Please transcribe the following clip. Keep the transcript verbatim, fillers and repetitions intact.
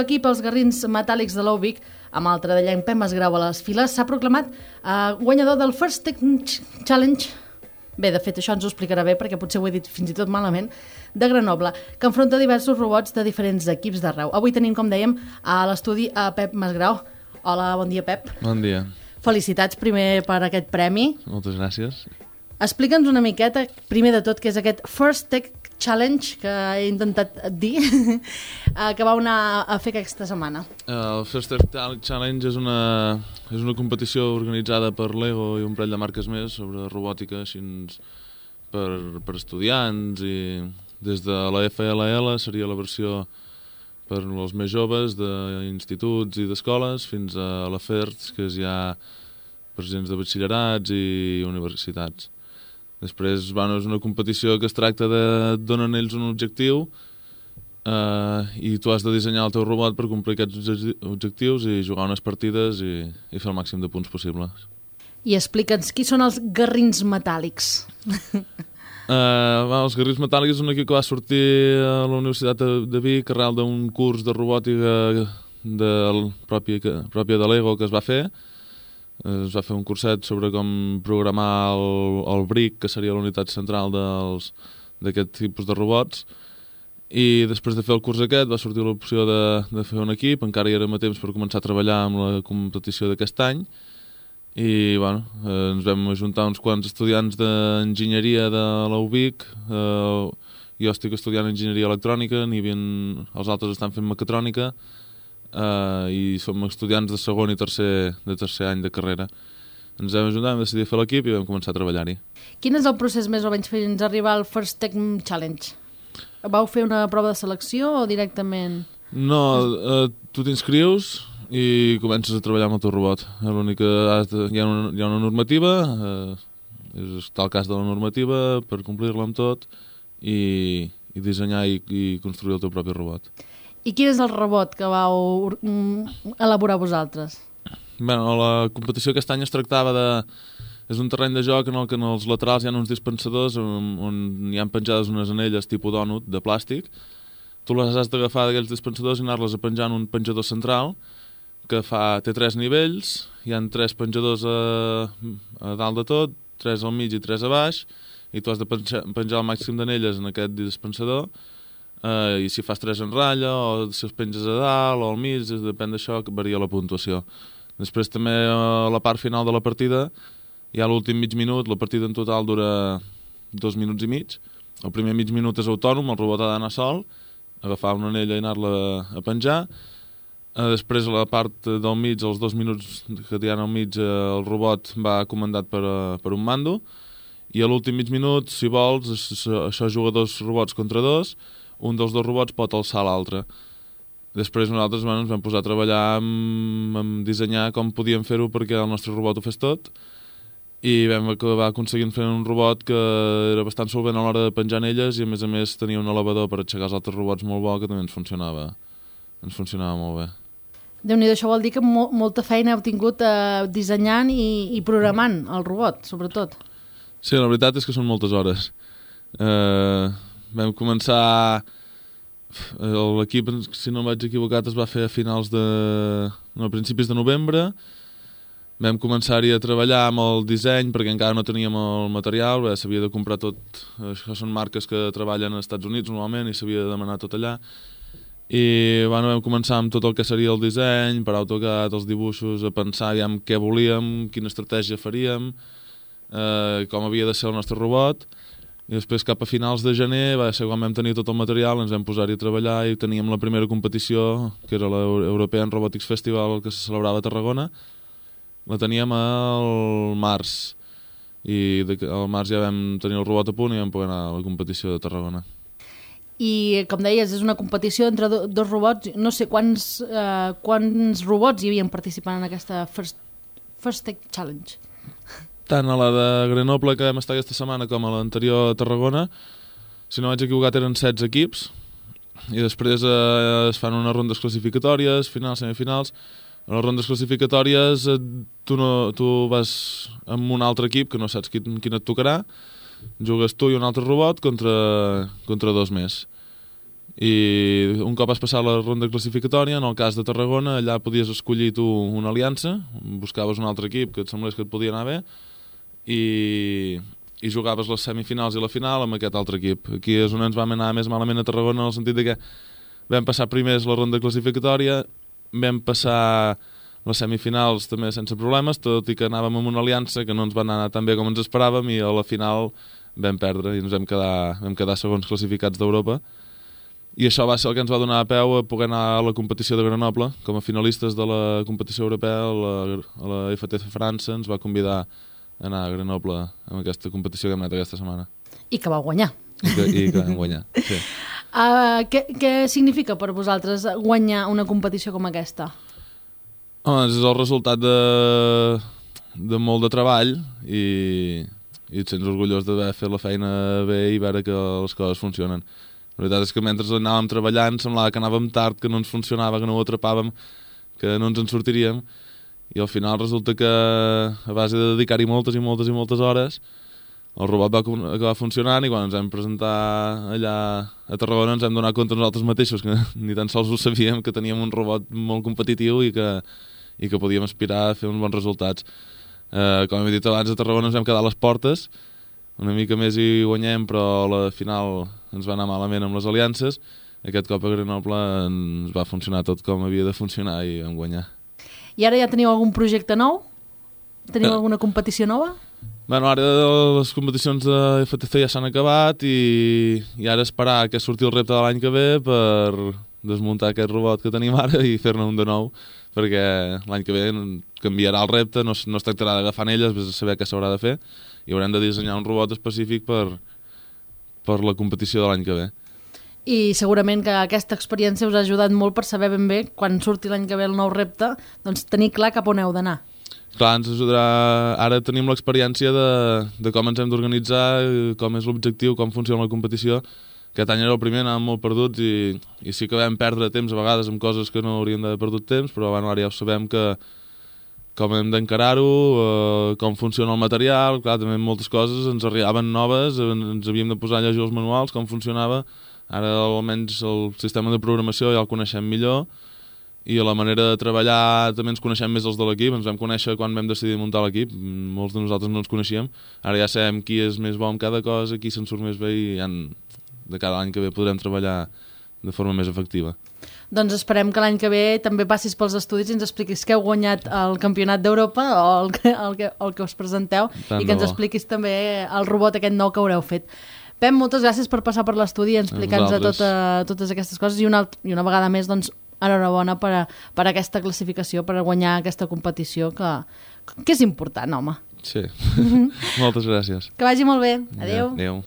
l'equip, els Garrins Metàl·lics de l'Oubic, amb el tredellenc Pep Masgrau a les files, s'ha proclamat eh, guanyador del First Tech Challenge. Bé, de fet, això ens ho explicarà bé, perquè potser ho he dit fins i tot malament, de Grenoble, que enfronta diversos robots de diferents equips d'arreu. Avui tenim, com dèiem, a l'estudi a Pep Masgrau. Hola, bon dia, Pep. Bon dia. Felicitats primer per aquest premi. Moltes gràcies. Explica'ns una miqueta, primer de tot, què és aquest First Tech Challenge que he intentat dir, que vau anar a fer aquesta setmana. El First Tech Challenge és una, és una competició organitzada per Lego i un parell de marques més sobre robòtica així per, per estudiants, i des de la F L L seria la versió per als més joves d'instituts i d'escoles fins a la F E R T, que és ja per gens de batxillerats i universitats. Després, bueno, és una competició que es tracta de... et donen ells un objectiu eh, i tu has de dissenyar el teu robot per complir aquests objectius i jugar unes partides i, i fer el màxim de punts possibles. I explica'ns, qui són els Garrins Metàl·lics? Eh, bueno, els Garrins Metàl·lics és un equip que va sortir a la Universitat de, de Vic arrel d'un curs de robòtica de, pròpia, pròpia de Lego que es va fer. Es va fer un curset sobre com programar el, el B R I C, que seria la unitat central d'aquest tipus de robots, i després de fer el curs aquest va sortir l'opció de, de fer un equip. Encara hi érem a temps per començar a treballar amb la competició d'aquest any, i bueno, eh, ens vam ajuntar uns quants estudiants d'enginyeria de l'Oubic. eh, jo estic estudiant enginyeria electrònica, n'hi havia, els altres estan fent mecatrònica, Uh, i som estudiants de segon i tercer, de tercer any de carrera. Ens vam ajuntar, vam decidir fer l'equip i vam començar a treballar-hi. Quin és el procés més o menys fins a arribar al First Tech Challenge? Vau fer una prova de selecció o directament? No, uh, tu t'inscrius i comences a treballar amb el teu robot. L'únic que hi ha una, hi ha una normativa, uh, és està el cas de la normativa per complir-la amb tot i, i dissenyar i, i construir el teu propi robot. I quin és el robot que vau elaborar vosaltres? Bueno, la competició aquest any es tractava de... És un terreny de joc en el que en els laterals hi ha uns dispensadors on, on hi ha penjades unes anelles tipus dònut de plàstic. Tu les has d'agafar d'aquells dispensadors i anar-les a penjar en un penjador central que fa, té tres nivells, hi ha tres penjadors a, a dalt de tot, tres al mig i tres a baix, i tu has de penjar, penjar el màxim d'anelles en aquest dispensador. Uh, i si fas tres en ratlla o si els penges a dalt o al mig, depèn d'això, que varia la puntuació. Després també a la part final de la partida hi ha l'últim mig minut. La partida en total dura dos minuts i mig. El primer mig minut és autònom, el robot ha d'anar sol, agafar una anella i anar-la a penjar. Uh, després a la part del mig, els dos minuts que hi ha al mig, uh, el robot va comandat per, uh, per un mando, i a l'últim mig minut, si vols, això, això juga dos robots contra dos. Un dels dos robots pot alçar l'altre. Després nosaltres bueno, ens vam posar a treballar amb, amb dissenyar com podíem fer-ho perquè el nostre robot ho fes tot, i vam acabar aconseguint fer un robot que era bastant solvent a l'hora de penjar en elles i a més a més tenia un elevador per aixecar els altres robots molt bo, que també ens funcionava, ens funcionava molt bé. Déu-n'hi-do, això vol dir que mo molta feina heu tingut eh, dissenyant i, i programant el robot, sobretot. Sí, la veritat és que són moltes hores. Eh... Vam començar... L'equip, si no vaig equivocat, es va fer a finals de... no, a principis de novembre. Vam començar-hi a treballar amb el disseny perquè encara no teníem el material, s'havia de comprar tot. Això són marques que treballen als Estats Units normalment i s'havia de demanar tot allà. I bueno, vam començar amb tot el que seria el disseny, per AutoCAD, els dibuixos, a pensar ja en què volíem, quina estratègia faríem, eh, com havia de ser el nostre robot. I després cap a finals de gener va ser quan vam tenir tot el material, ens vam posar-hi a treballar i teníem la primera competició, que era l'European Robotics Festival, que se celebrava a Tarragona. La teníem al març, i al març ja vam tenir el robot a punt i vam poder anar a la competició de Tarragona. I, com deies, és una competició entre do, dos robots. No sé quants, eh, quants robots hi havien participant en aquesta First, First Tech Challenge. Tant a la de Grenoble, que vam estar aquesta setmana, com a l'anterior a Tarragona, si no vaig equivocat, eren setze equips, i després eh, es fan unes rondes classificatòries, finals, semifinals. A les rondes classificatòries eh, tu, no, tu vas amb un altre equip, que no saps quin, quin et tocarà, jugues tu i un altre robot contra, contra dos més. i un cop has passat la ronda classificatòria, en el cas de Tarragona, allà podies escollir tu una aliança, buscaves un altre equip que et semblés que et podia anar bé i, i jugaves les semifinals i la final amb aquest altre equip. Aquí és on ens vam anar més malament a Tarragona, en el sentit de que vam passar primers la ronda classificatòria, vam passar les semifinals també sense problemes, tot i que anàvem amb una aliança que no ens va anar tan bé com ens esperàvem i a la final vam perdre i ens vam quedar, vam quedar segons classificats d'Europa. I això va ser el que ens va donar peu a poder anar a la competició de Grenoble. Com a finalistes de la competició europea, la, a la F T C França ens va convidar a anar a Grenoble amb aquesta competició que hem anat aquesta setmana. I que va guanyar. I que, i que vam guanyar, sí. Uh, què, què significa per vosaltres guanyar una competició com aquesta? Home, és el resultat de, de molt de treball i, i et sents orgullós d'haver fet la feina bé i veure que les coses funcionen. La veritat és que mentre anàvem treballant semblava que anàvem tard, que no ens funcionava, que no ho atrapàvem, que no ens en sortiríem i al final resulta que a base de dedicar-hi moltes i moltes i moltes hores el robot va acabar funcionant i quan ens vam presentar allà a Tarragona ens vam donar compte nosaltres mateixos que ni tan sols ho sabíem, que teníem un robot molt competitiu i que, i que podíem aspirar a fer uns bons resultats. Eh, com he dit abans, a Tarragona ens vam quedar a les portes, una mica més hi guanyem, però a la final ens va anar malament amb les aliances. Aquest cop a Grenoble ens va funcionar tot com havia de funcionar i vam guanyar. I ara ja teniu algun projecte nou? Teniu eh. alguna competició nova? Bueno, ara les competicions de F T C ja s'han acabat i, i ara esperar que surti el repte de l'any que ve per desmuntar aquest robot que tenim ara i fer-ne un de nou, perquè l'any que ve canviarà el repte, no, no es tractarà d'agafar anelles, vés a saber què s'haurà de fer, i haurem de dissenyar un robot específic per, per la competició de l'any que ve. I segurament que aquesta experiència us ha ajudat molt per saber ben bé, quan surti l'any que ve el nou repte, doncs tenir clar cap on heu d'anar. Clar, ens ajudarà... Ara tenim l'experiència de, de com ens hem d'organitzar, com és l'objectiu, com funciona la competició. Aquest any era el primer, anàvem molt perduts i, i sí que vam perdre temps a vegades amb coses que no hauríem d'haver perdut temps, però bueno, ara ja ho sabem que com hem d'encarar-ho, eh, com funciona el material, clar, també moltes coses ens arribaven noves, ens havíem de posar a llegir els manuals, com funcionava. Ara almenys el sistema de programació ja el coneixem millor i a la manera de treballar també ens coneixem més els de l'equip, ens vam conèixer quan vam decidir muntar l'equip, molts de nosaltres no ens coneixíem, ara ja sabem qui és més bo en cada cosa, qui se'n surt més bé i ja de cada any que ve podrem treballar de forma més efectiva. Doncs esperem que l'any que ve també passis pels estudis i ens expliquis que heu guanyat el Campionat d'Europa o el que, el que, el que us presenteu. Tant i que ens expliquis també el robot aquest nou que haureu fet. Pep, moltes gràcies per passar per l'estudi i explicar-nos tota, totes aquestes coses i una, i una vegada més, doncs, enhorabona per, a, per a aquesta classificació, per a guanyar aquesta competició que, que és important, home. Sí, moltes gràcies. Que vagi molt bé. Adéu. Adéu.